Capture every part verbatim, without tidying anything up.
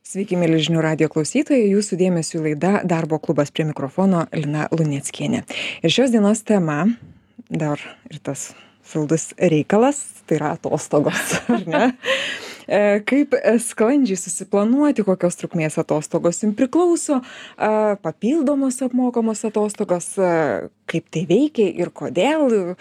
Sveiki, mieli žinių radijo klausytojai, jūsų dėmesiu laida Darbo klubas, prie mikrofono Lina Luneckienė. Ir šios dienos tema, dar ir tas saldus reikalas, tai yra atostogos, ar ne? E, Kaip sklandžiai susiplanuoti, kokios trukmės atostogos jums priklauso, e, papildomos apmokamos atostogos, e, kaip tai veikia ir kodėl.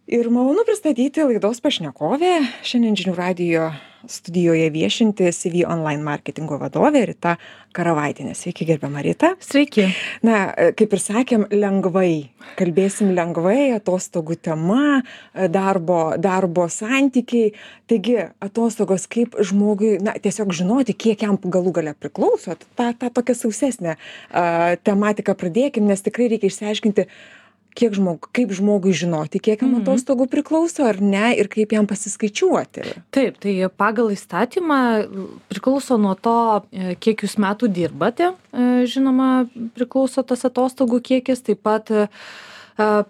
Ir malonu pristatyti laidos pašnekovę, šiandien žinių radijo studijoje viešinti C V online marketingo vadovė Rita Karavaitienė. Sveiki, gerbiama Rita. Sveiki. Na, kaip ir sakėm, lengvai. Kalbėsim lengvai, atostogų tema, darbo, darbo santykiai. Taigi, atostogos kaip žmogui, na, tiesiog žinoti, kiek jam galų gale priklauso. Ta, ta tokia sausesnė uh, tematika pradėkim, nes tikrai reikia išsiaiškinti, kiek žmog, kaip žmogui žinoti, kiek jam atostogų priklauso ar ne ir kaip jam pasiskaičiuoti. Taip, tai pagal įstatymą priklauso nuo to, kiek jūs metų dirbate. Žinoma, priklauso tas atostogų kiekis, taip pat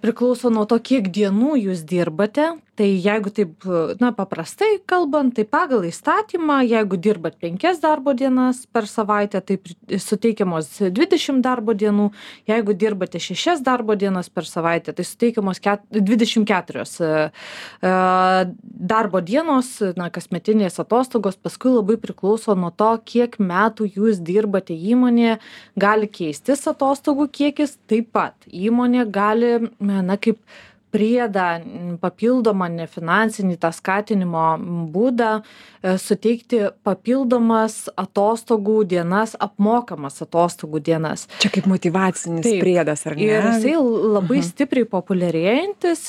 priklauso nuo to, kiek dienų jūs dirbate. Tai jeigu taip, na, paprastai kalbant, tai pagal įstatymą, jeigu dirbat penkias darbo dienas per savaitę, tai suteikiamos dvidešimt darbo dienų. Jeigu dirbate šešias darbo dienas per savaitę, tai suteikiamos dvidešimt keturios darbo dienos, na, kasmetinės atostogos. Paskui labai priklauso nuo to, kiek metų jūs dirbate įmonėje. Gali keistis atostogų kiekis, taip pat įmonė gali, na, kaip priedą, papildomą nefinansinį tą skatinimo būdą, suteikti papildomas atostogų dienas, apmokamas atostogų dienas. Čia kaip motyvacinis Taip. priedas, ar ne? Ir jisai labai uh-huh. stipriai populiarėjantis,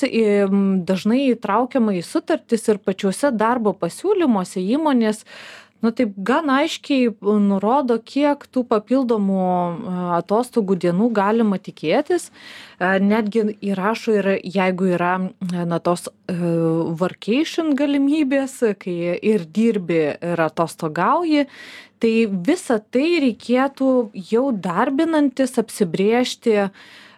dažnai įtraukiama į sutartis ir pačiuose darbo pasiūlymuose įmonės, nu taip gan aiškiai nurodo, kiek tų papildomų atostogų dienų galima tikėtis. Netgi įrašo ir jeigu yra, na, tos workation galimybės, kai ir dirbi ir atostogauji, tai visą tai reikėtų jau darbinantis apsibrėžti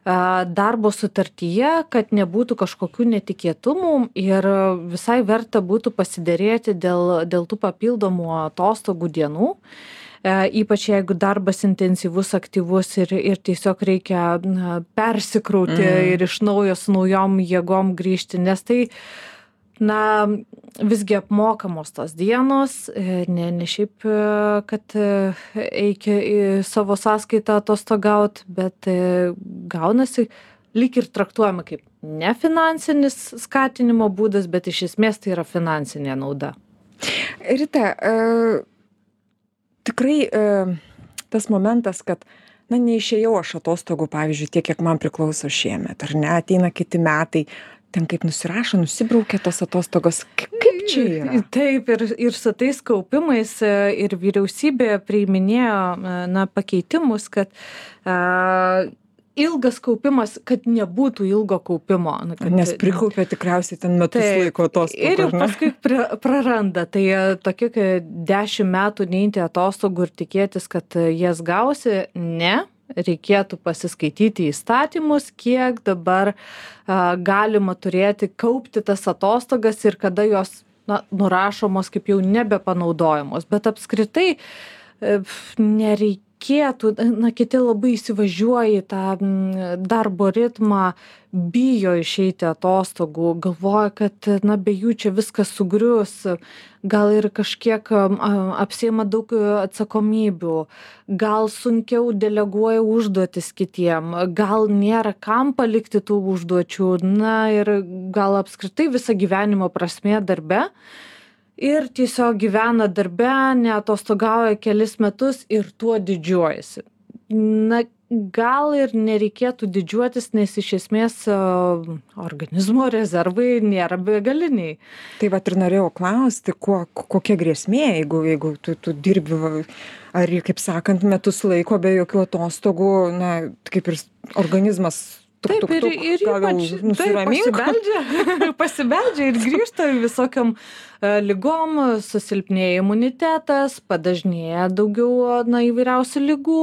darbo sutartyje, kad nebūtų kažkokių netikėtumų ir visai verta būtų pasiderėti dėl, dėl tų papildomų atostogų dienų. Ypač jeigu darbas intensyvus, aktyvus ir, ir tiesiog reikia, na, persikrauti mm. ir iš naujo su naujom jėgom grįžti, nes tai, na, visgi apmokamos tos dienos, ne, ne šiaip, kad eikia į savo sąskaitą atostogaut, bet gaunasi lyg ir traktuojama kaip nefinansinis skatinimo būdas, bet iš esmės tai yra finansinė nauda. Rita, e, tikrai e, tas momentas, kad na, neišėjau aš atostogų, pavyzdžiui, tiek, kiek man priklauso šiemet, ar ne, ateina kiti metai, ten kaip nusirašo, nusibraukia tos atostogos. Kaip čia yra? Taip, ir, ir su tais kaupimais ir vyriausybė priiminėjo, na, pakeitimus, kad a, ilgas kaupimas, kad nebūtų ilgo kaupimo. Kad, nes prikaupia tikriausiai ten metus taip, laiko atostogų. Ir paskui praranda. Tai tokie, kai dešimt metų neimti atostogų ir tikėtis, kad jas gausi, ne. Reikėtų pasiskaityti įstatymus, kiek dabar a, galima turėti, kaupti tas atostogas ir kada jos, na, nurašomos kaip jau nebepanaudojamos. Bet apskritai e, nereikėtų, na, kiti labai įsivažiuoja į tą darbo ritmą, bijo išeiti atostogų, galvoja, kad, na, be jų čia viskas sugrius, gal ir kažkiek apsiima daug atsakomybių, gal sunkiau deleguoja užduotis kitiem, gal nėra kam palikti tų užduočių, na, ir gal apskritai visą gyvenimo prasmė darbe. Ir tiesiog gyvena darbe, neatostogauja kelis metus ir tuo didžiuojasi. Na, gal ir nereikėtų didžiuotis, nes iš esmės organizmo rezervai nėra begaliniai. Tai vat ir norėjau klausti, kuo, kokia grėsmė, jeigu, jeigu tu, tu dirbi, ar, kaip sakant, metus laiko be jokių atostogų, na, kaip ir organizmas tuk, Taip, tuk, ir, tuk, ir gal jau ypač taip, nusiramink. pasibeldžia, pasibeldžia ir grįžta visokiam e, lygom, susilpnėja imunitetas, padažnėja daugiau na, įvairiausių lygų.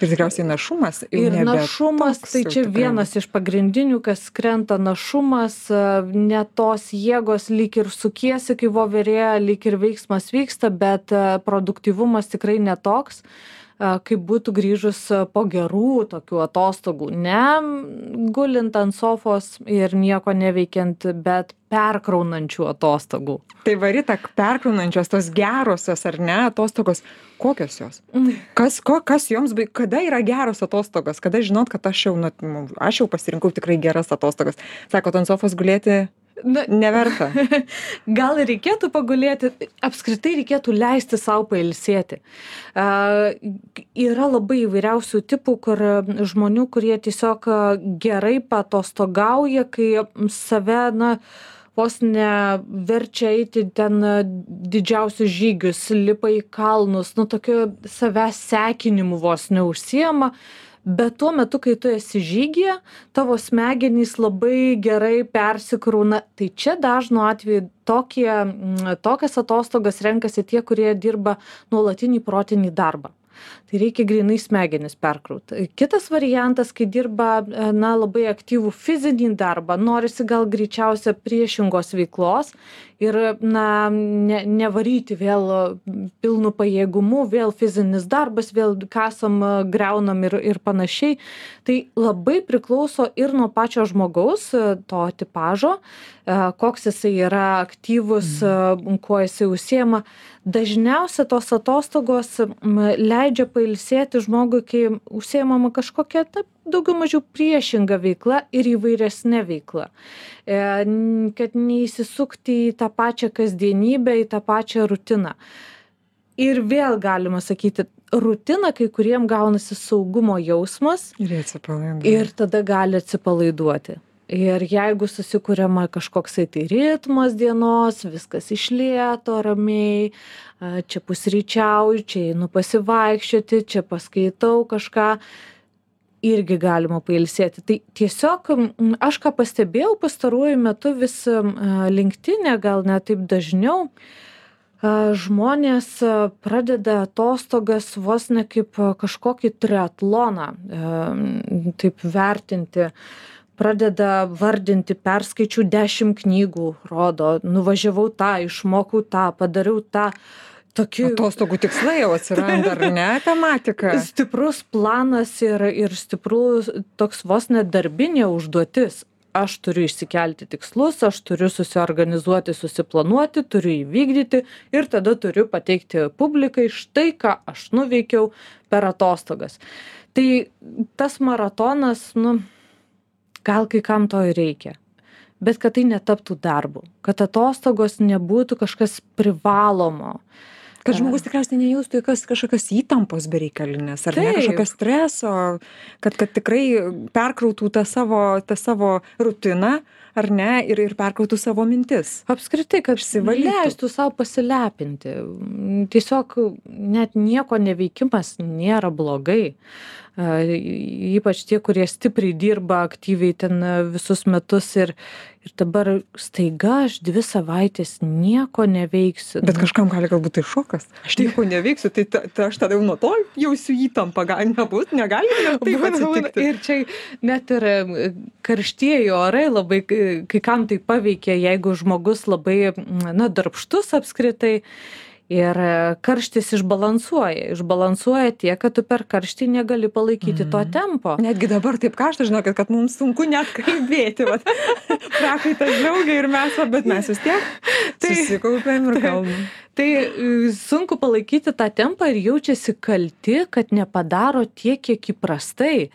Ir tikriausiai našumas jau Ir nebe našumas, toks tai jau čia tikrai. vienas iš pagrindinių, kas krenta našumas, e, ne tos jėgos lyg ir sukiesi, kai voverė, lyg ir veiksmas vyksta, bet e, produktyvumas tikrai netoks, kaip būtų grįžus po gerų tokių atostogų, ne gulint ant sofos ir nieko neveikiant, bet perkraunančių atostogų. Tai varita, perkraunančios tos gerosios ar ne atostogos, kokios jos? Kas, ko, kas joms, kada yra geros atostogos, kada žinot, kad aš jau, nu, aš jau pasirinkau tikrai geras atostogas. Sakot, ant sofos gulėti Na, neverta. Gal ir reikėtų pagulėti, apskritai reikėtų leisti savo pailsėti. Uh, yra labai įvairiausių tipų, kur žmonių, kurie tiesiog gerai patostogauja, kai save, na, vos neverčia eiti ten didžiausius žygius, lipa į kalnus, nu, tokiu savęs sekinimu vos neužsiema. Bet tuo metu, kai tu esi žygyje, tavo smegenys labai gerai persikrauna. Tai čia dažnu atveju tokie, tokias atostogas renkasi tie, kurie dirba nuolatinį protinį darbą. Tai reikia grynai smegenis perkrauti. Kitas variantas, kai dirba na, labai aktyvų fizinį darbą, norisi gal greičiausia priešingos veiklos ir na, ne, nevaryti vėl pilnu pajėgumu, vėl fizinis darbas, vėl kasam, greunam ir, ir panašiai. Tai labai priklauso ir nuo pačio žmogaus, to tipažo, koks jisai yra aktyvus, mm. kuo jisai užsiema. Dažniausia tos atostogos leidžia pailsėti žmogui, kai užsiemama kažkokia ta, daugiau mažiau priešinga veikla ir įvairesnė veikla. E, kad neįsisukti į tą pačią kasdienybę, į tą pačią rutiną. Ir vėl galima sakyti, rutina kai kuriem gaunasi saugumo jausmas ir, ir tada gali atsipalaiduoti. Ir jeigu susikuriama kažkoksai tai ritmas dienos, viskas iš lėto, ramiai, čia pusryčiauju, čia einu pasivaikščioti, čia paskaitau kažką, irgi galima pailsėti. Tai tiesiog aš ką pastebėjau pastaruoju metu vis LinkedIn'e, gal net taip dažniau, žmonės pradeda atostogas vos ne kaip kažkokį triatloną, taip vertinti. Pradeda vardinti, perskaičiau dešimt knygų, rodo, nuvažiavau tą, išmokau tą, padariau tą. Tokių... Atostogų tikslai jau atsiranda, ar ne, tematika? Stiprus planas ir, ir stiprus toks vos net darbinė užduotis. Aš turiu išsikelti tikslus, aš turiu susiorganizuoti, susiplanuoti, turiu įvykdyti ir tada turiu pateikti publikai štai, ką aš nuveikiau per atostogas. Tai tas maratonas, nu... Gal kai kam to ir reikia, bet kad tai netaptų darbu, kad atostogos nebūtų kažkas privalomo. Kad žmogus tikriausiai nejaustų jokios kažkokios įtampos bereikalinės, ar Taip. ne kažkokio streso, kad, kad tikrai perkrautų tą savo, tą savo rutiną, ar ne, ir, ir perkrautų savo mintis. Apskritai, kad leistų savo pasilepinti. Tiesiog net nieko neveikimas nėra blogai. Ypač tie, kurie stipriai dirba aktyviai ten visus metus ir, ir dabar staiga aš dvi savaitės nieko neveiksiu. Bet kažkam gali galbūt tai šokas. Aš nieko neveiksiu, tai ta, ta, aš tada jau nuo to jausiu įtampą, gali nebūt, negali taip atsitikti. Ir čia net ir karštieji orai labai, kai kam tai paveikia, jeigu žmogus labai, na, darbštus apskritai. Ir karštis išbalansuoja. Išbalansuoja tiek, kad tu per karštį negali palaikyti mm. to tempo. Netgi dabar taip karšta, žinokit, kad mums sunku net kalbėti. Prakaitas džiaugia ir mes, bet mes vis tiek tai, susikaupėm ir kalbam. Tai sunku palaikyti tą tempą ir jaučiasi kalti, kad nepadaro tiek, kiek įprastai.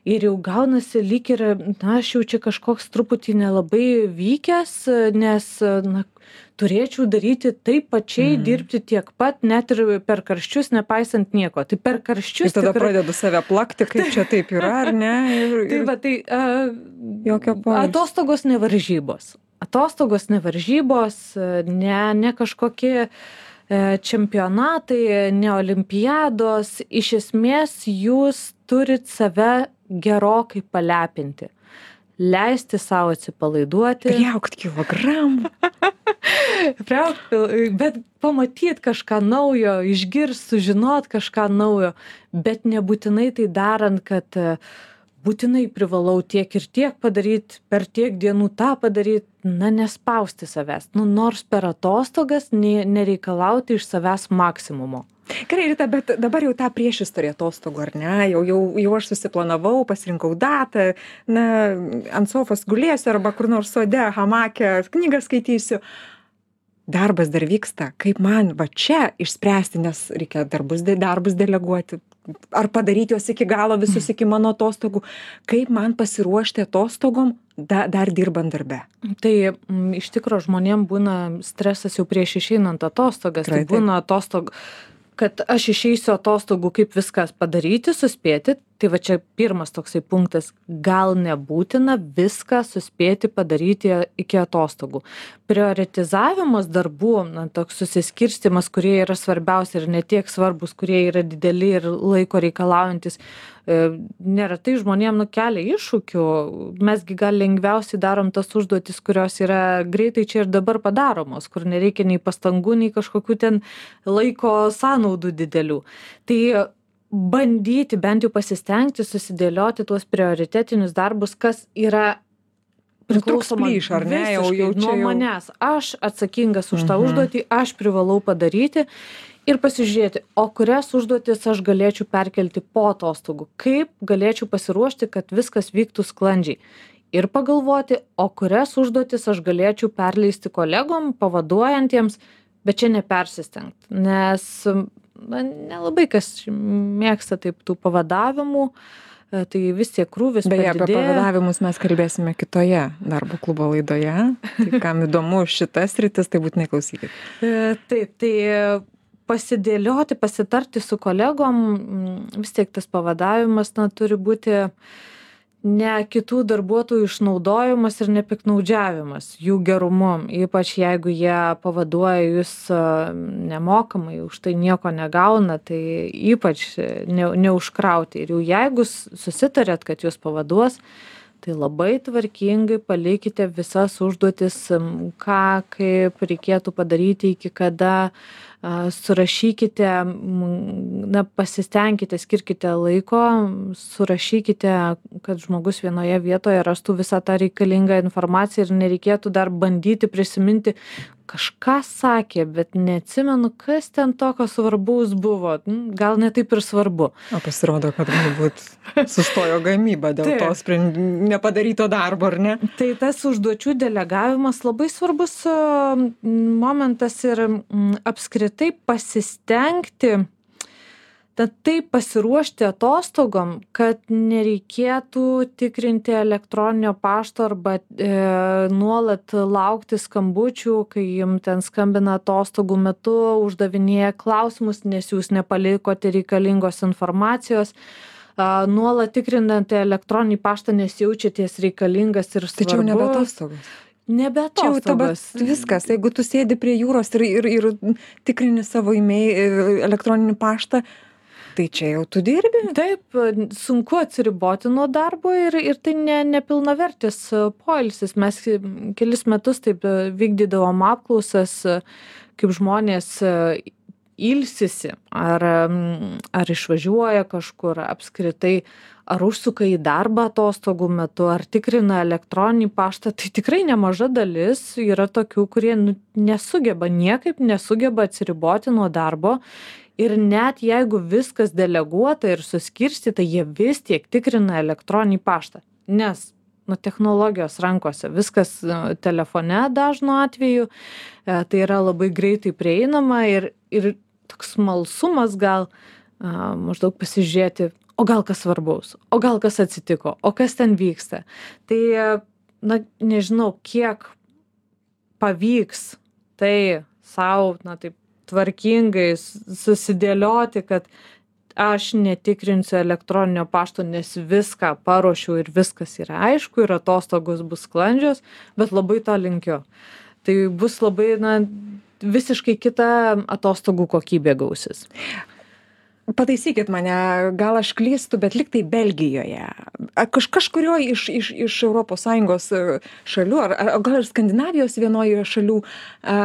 Ir jau gaunasi lyg ir, na, aš jau čia kažkoks truputį nelabai vykęs, nes, na, turėčiau daryti taip pačiai, mm. dirbti tiek pat, net ir per karščius, nepaisant nieko. Tai per karščius... Ir tada tikrai... pradedu save plakti, kaip čia taip yra, ar ne? Ir, ir... Tai va, tai... Uh, atostogos nevaržybos. Atostogos nevaržybos, ne, ne kažkokie čempionatai, ne olimpiados. Iš esmės, jūs turit save gerokai palepinti. leisti savo atsipalaiduoti. Priaugt kilogramų. Priaugt, bet pamatyt kažką naujo, išgirst, sužinot kažką naujo, bet nebūtinai tai darant, kad būtinai privalau tiek ir tiek padaryt, per tiek dienų tą padaryt, na, nespausti savęs. Nu, nors per atostogas ne, nereikalauti iš savęs maksimumo. Gerai, Rita, bet dabar jau tą priešistorę atostogų, ar ne? Jau, jau, jau aš susiplanavau, pasirinkau datą, na, ant sofos gulėsiu arba kur nors sode, hamake, knygą skaitysiu. Darbas dar vyksta. Kaip man va čia išspręsti, nes reikia darbus, darbus deleguoti, ar padaryti juos iki galo visus iki mano atostogų. Kaip man pasiruošti atostogom, da, dar dirbant darbe? Tai m, iš tikro žmonėm būna stresas jau prieš išeinant atostogas. Tai būna atostog, kad aš išeisiu atostogų, kaip viskas padaryti, suspėti. Tai va čia pirmas toksai punktas. Gal nebūtina viską suspėti padaryti iki atostogų. Prioritizavimas darbų, na, toks susiskirstimas, kurie yra svarbiausi ir ne tiek svarbus, kurie yra dideli ir laiko reikalaujantis, e, neretai žmonėm nukelia iššūkių. Mesgi gal lengviausiai darom tas užduotis, kurios yra greitai čia ir dabar padaromos, kur nereikia nei pastangų, nei kažkokių ten laiko sąnaudų didelių. Tai bandyti bent jau pasistengti susidėlioti tuos prioritetinius darbus, kas yra priklausoma plyš, ar ne, jau, jau nuo jau... manęs. Aš atsakingas už tą užduotį, aš privalau padaryti ir pasižiūrėti, o kurias užduotis aš galėčiau perkelti po atostogų, kaip galėčiau pasiruošti, kad viskas vyktų sklandžiai. Ir pagalvoti, o kurias užduotis aš galėčiau perleisti kolegom, pavaduojantiems, bet čia nepersistengti, nes na, nelabai kas mėgsta taip tų pavadavimų, tai vis tiek krūvis padidėja. Beje, apie pavadavimus mes kalbėsime kitoje darbo klubo laidoje. Tai kam įdomu šitas sritis, tai būtinai klausykit. Taip, tai pasidėlioti, pasitarti su kolegom, vis tiek tas pavadavimas, na, turi būti ne kitų darbuotojų išnaudojimas ir nepiktnaudžiavimas jų gerumu, ypač jeigu jie pavaduoja jūs nemokamai, už tai nieko negauna, tai ypač ne, neužkrauti. Ir jau jeigu susitarėt, kad jūs pavaduos, tai labai tvarkingai palikite visas užduotis, ką, kaip reikėtų padaryti, iki kada, surašykite, na, pasistengkite, skirkite laiko, surašykite, kad žmogus vienoje vietoje rastų visą tą reikalingą informaciją ir nereikėtų dar bandyti prisiminti, kažką sakė, bet neatsimenu, kas ten tokio svarbaus buvo. Gal ne taip ir svarbu. O pasirodo, kad galbūt sustojo gamyba dėl to sprend... nepadaryto darbo, ar ne? Tai tas užduočių delegavimas labai svarbus momentas ir apskritai pasistengti, tad taip pasiruošti atostogom, kad nereikėtų tikrinti elektroninio pašto arba e, nuolat laukti skambučių, kai jums ten skambina atostogų metu, uždavinėja klausimus, nes jūs nepalikote reikalingos informacijos. A, nuolat tikrinant elektroninį paštą, nes jaučiatės reikalingas ir svarbus. Tai čia jau nebe atostogos. Nebe atostogos. Čia jau viskas. Jeigu tu sėdi prie jūros ir, ir, ir tikrini savo e-mail, elektroninį paštą, tai čia jau tu dirbi. Taip, sunku atsiriboti nuo darbo ir, ir tai ne, nepilnavertis poilsis. Mes kelis metus taip vykdydavom apklausas, kaip žmonės ilsisi, ar, ar išvažiuoja kažkur apskritai, ar užsuka į darbą atostogų metu, ar tikrina elektroninį paštą. Tai tikrai nemaža dalis yra tokių, kurie nesugeba, niekaip nesugeba atsiriboti nuo darbo. Ir net jeigu viskas deleguota ir suskirstyta, jie vis tiek tikrina elektroninį paštą. Nes nu, technologijos rankose, viskas telefone dažnu atveju, tai yra labai greitai prieinama ir, ir toks smalsumas gal a, maždaug pasižiūrėti, o gal kas svarbaus, o gal kas atsitiko, o kas ten vyksta. Tai, na, nežinau, kiek pavyks tai savo, na, taip, tvarkingai susidėlioti, kad aš netikrinsiu elektroninio pašto, nes viską paruošiau ir viskas yra aišku ir atostogos bus sklandžios, bet labai to linkiu. Tai bus labai, na, visiškai kita atostogų kokybė gausis. Pataisykit mane, gal aš klystu, bet liktai Belgijoje kaž, kažkurio iš, iš, iš Europos Sąjungos šalių, ar, ar gal ir Skandinavijos vienoje šalių, a,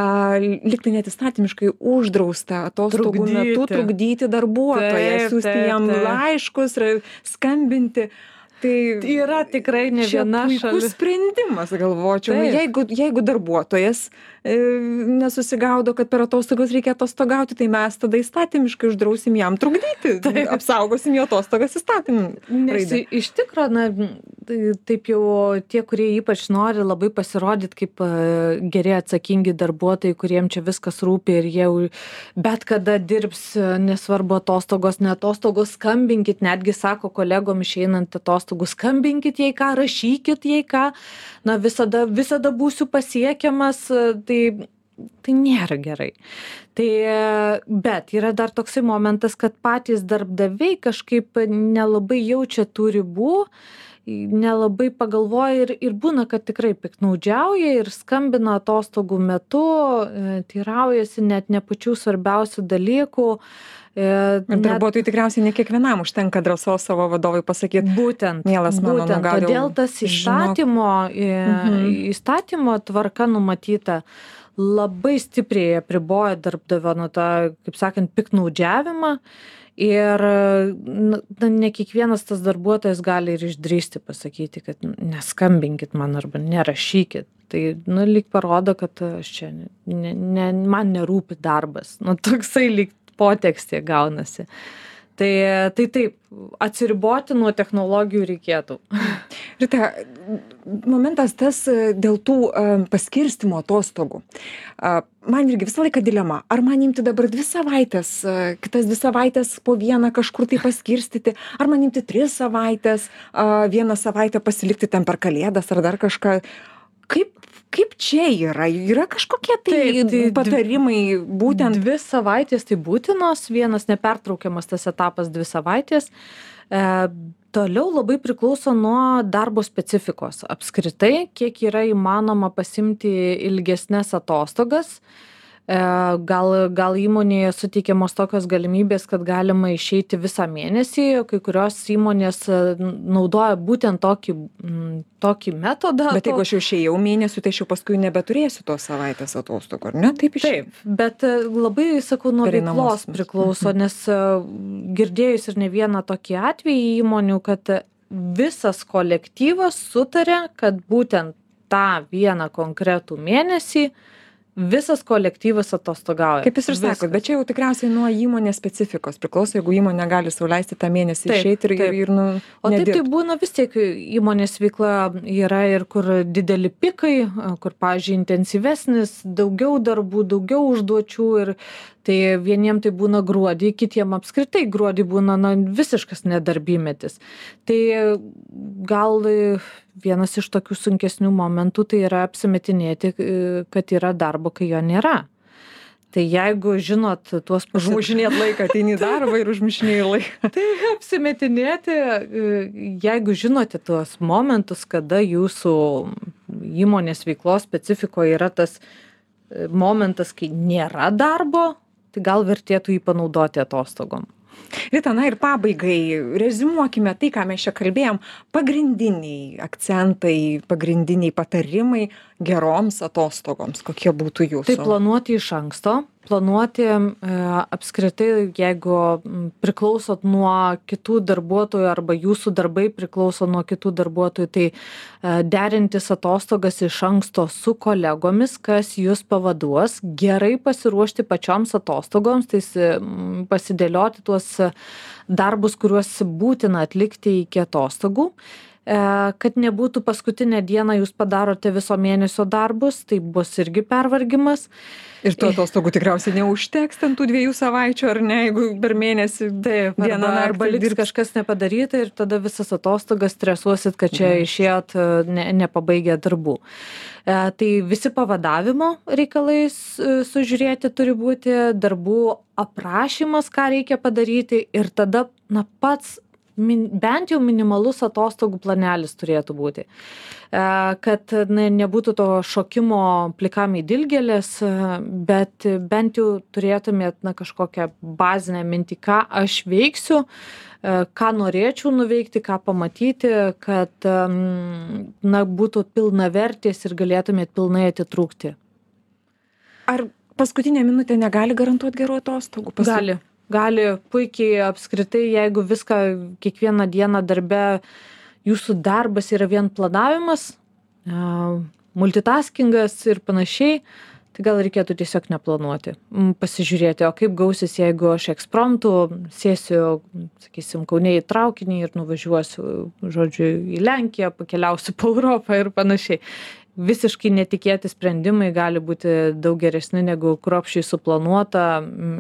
liktai net įstatymiškai uždrausta atostogų Trukdyti. metu trukdyti darbuotoją, Taip, siūsti taip, jam taip. laiškus, skambinti. Tai Yra tikrai ne viena šalis. šalis. Sprendimas, galvočiau. Taip. Jeigu, jeigu darbuotojas e, nesusigaudo, kad per atostogas reikia atostogauti, tai mes tada įstatymiškai uždrausim jam trukdyti. Taip. Apsaugosim jo atostogas įstatymų. Nes raide. iš tikro, na, tai taip jau tie, kurie ypač nori labai pasirodyti kaip e, geri atsakingi darbuotojai, kuriem čia viskas rūpi ir jie jau bet kada dirbs, e, nesvarbu atostogos, ne atostogos, skambinkit, netgi sako kolegom išeinant atostogų, skambinkit jei ką, rašykit jei ką, na visada, visada būsiu pasiekiamas, tai, tai nėra gerai. Tai, bet yra dar toksai momentas, kad patys darbdaviai kažkaip nelabai jaučia tų ribų, nelabai pagalvoja ir, ir būna, kad tikrai piktnaudžiauja ir skambina atostogų metu, teiraujasi net ne pačių svarbiausių dalykų. Ir darbuotojai tikriausiai ne kiekvienam užtenka drąsos savo vadovui pasakyti. Būtent. Mielas mano, būtent, nu, gal jau todėl tas įstatymo, Mhm. įstatymo tvarka numatyta labai stipriai apriboja darbdavio, nu, tą, kaip sakant, piktnaudžiavimą. Ir na, ne kiekvienas tas darbuotojas gali ir išdrįsti pasakyti, kad neskambinkit man arba nerašykit. Tai, nu, lyg parodo, kad aš čia, ne, ne, man nerūpi darbas. Nu, toksai lyg potekstė gaunasi. Tai, tai taip, atsiriboti nuo technologijų reikėtų. Rita, momentas tas dėl tų paskirstimo atostogų. Man irgi visą laiką dilema, ar man imti dabar dvi savaitės, kitas dvi savaitės po vieną kažkur tai paskirstyti, ar man imti tris savaitės, vieną savaitę pasilikti ten per kalėdas ar dar kažką. Kaip, kaip čia yra? Yra kažkokie tai, Taip, tai patarimai būtent? Dvi savaitės tai būtinos, vienas nepertraukiamas tas etapas dvi savaitės. E, toliau labai priklauso nuo darbo specifikos. Apskritai, kiek yra įmanoma pasimti ilgesnes atostogas. E, gal, gal įmonėje suteikiamos tokios galimybės, kad galima išeiti visą mėnesį, kai kurios įmonės naudoja būtent tokį, tokį metodą. Bet jeigu aš jau išėjau mėnesių, tai aš jau paskui nebeturėsiu tos savaitės atostogų, ar ne? Taip išėjau. Taip, bet labai, sakau, nuo veiklos priklauso, nes girdėjus ir ne vieną tokį atvejį įmonių, kad visas kolektyvas sutarė, kad būtent tą vieną konkretų mėnesį visas kolektyvas atostogauja. Kaip jūs ir sakot, bet čia jau tikriausiai nuo įmonės specifikos priklauso, jeigu įmonė gali sau leisti tą mėnesį išeiti ir, ir, ir nu, o taip nedirbt. tai būna vis tiek įmonės veikla yra ir kur dideli pikai, kur, pavyzdžiui, intensyvesnis, daugiau darbų, daugiau užduočių ir tai vieniem tai būna gruodį, kitiem apskritai gruodį būna na, visiškas nedarbymetis. Tai gal vienas iš tokių sunkesnių momentų tai yra apsimetinėti, kad yra darbo, kai jo nėra. Tai jeigu žinot tuos... Užmušinėt laiką, ateini į darbą ir užmušinėjai laiką. Tai apsimetinėti, jeigu žinote tuos momentus, kada jūsų įmonės veiklos specifikoje yra tas momentas, kai nėra darbo, tai gal vertėtų jį panaudoti atostogom. Rita, na ir pabaigai, reziumuokime tai, ką mes čia kalbėjom, pagrindiniai akcentai, pagrindiniai patarimai geroms atostogoms, kokie būtų jūsų? Tai planuoti iš anksto, planuoti e, apskritai, jeigu priklausot nuo kitų darbuotojų arba jūsų darbai priklauso nuo kitų darbuotojų, tai e, derintis atostogas iš anksto su kolegomis, kas jūs pavaduos, gerai pasiruošti pačioms atostogoms, tai pasidėlioti tuos darbus, kuriuos būtina atlikti iki atostogų, kad nebūtų paskutinę dieną jūs padarote viso mėnesio darbus, tai bus irgi pervargimas. Ir tų atostogų tikriausiai neužteks ten tų dviejų savaičių, ar ne, jeigu per mėnesį Taip, dieną arba, arba liks kažkas nepadaryta ir tada visas atostogas stresuosit, kad čia išėjot ne, nepabaigę darbų. E, tai visi pavadavimo reikalais sužiūrėti turi būti, darbų aprašymas, ką reikia padaryti ir tada na, pats min, bent jau minimalus atostogų planelis turėtų būti. E, kad ne, nebūtų to šokimo plikam į dilgėlės, bet bent jau turėtumėt na, kažkokią bazinę mintį, ką aš veiksiu, e, ką norėčiau nuveikti, ką pamatyti, kad na, būtų pilnavertės ir galėtumėt pilnai atitrūkti. Ar paskutinė minutė negali garantuoti gerų atostogų? Pasu... Gali. Gali puikiai apskritai, jeigu viską kiekvieną dieną darbe, jūsų darbas yra vien planavimas, multitaskingas ir panašiai, tai gal reikėtų tiesiog neplanuoti. Pasižiūrėti, o kaip gausis, jeigu aš ekspromtu sėsiu, sakysim, Kaune į traukinį ir nuvažiuosiu, žodžiu, į Lenkiją, pakeliausiu po Europą ir panašiai. Visiškai netikėti sprendimai gali būti daug geresni negu kruopščiai suplanuota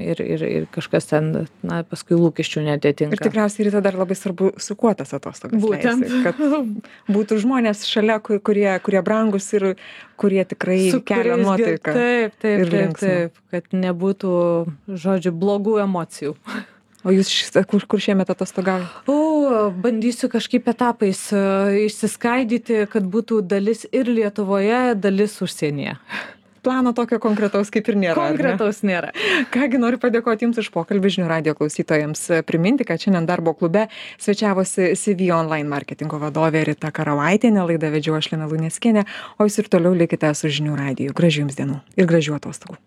ir, ir, ir kažkas ten, na, paskui lūkesčių neatitinka. Ir tikriausiai ryte dar labai svarbu, su kuo tas atostogas Būtent. leisi, kad būtų žmonės šalia, kurie, kurie brangus ir kurie tikrai Su kelia nuotaiką. Taip, taip, ir taip, taip, kad nebūtų, žodžiu, blogų emocijų. O jūs kur, kur šiemet atostogavote? O, bandysiu kažkaip etapais uh, išsiskaidyti, kad būtų dalis ir Lietuvoje, dalis užsienyje. Plano tokio konkretaus kaip ir nėra. Konkretaus ne? nėra. Kągi noriu padėkoti Jums už pokalbį žinių radijo klausytojams. Priminti, kad šiandien darbo klube svečiavosi C V Online marketingo vadovė Rita Karavaitienė, laidą vedžiau aš Lina Luneckienė, o Jūs ir toliau likite su žinių radiju. Gražių Jums dienų ir gražių atostogų.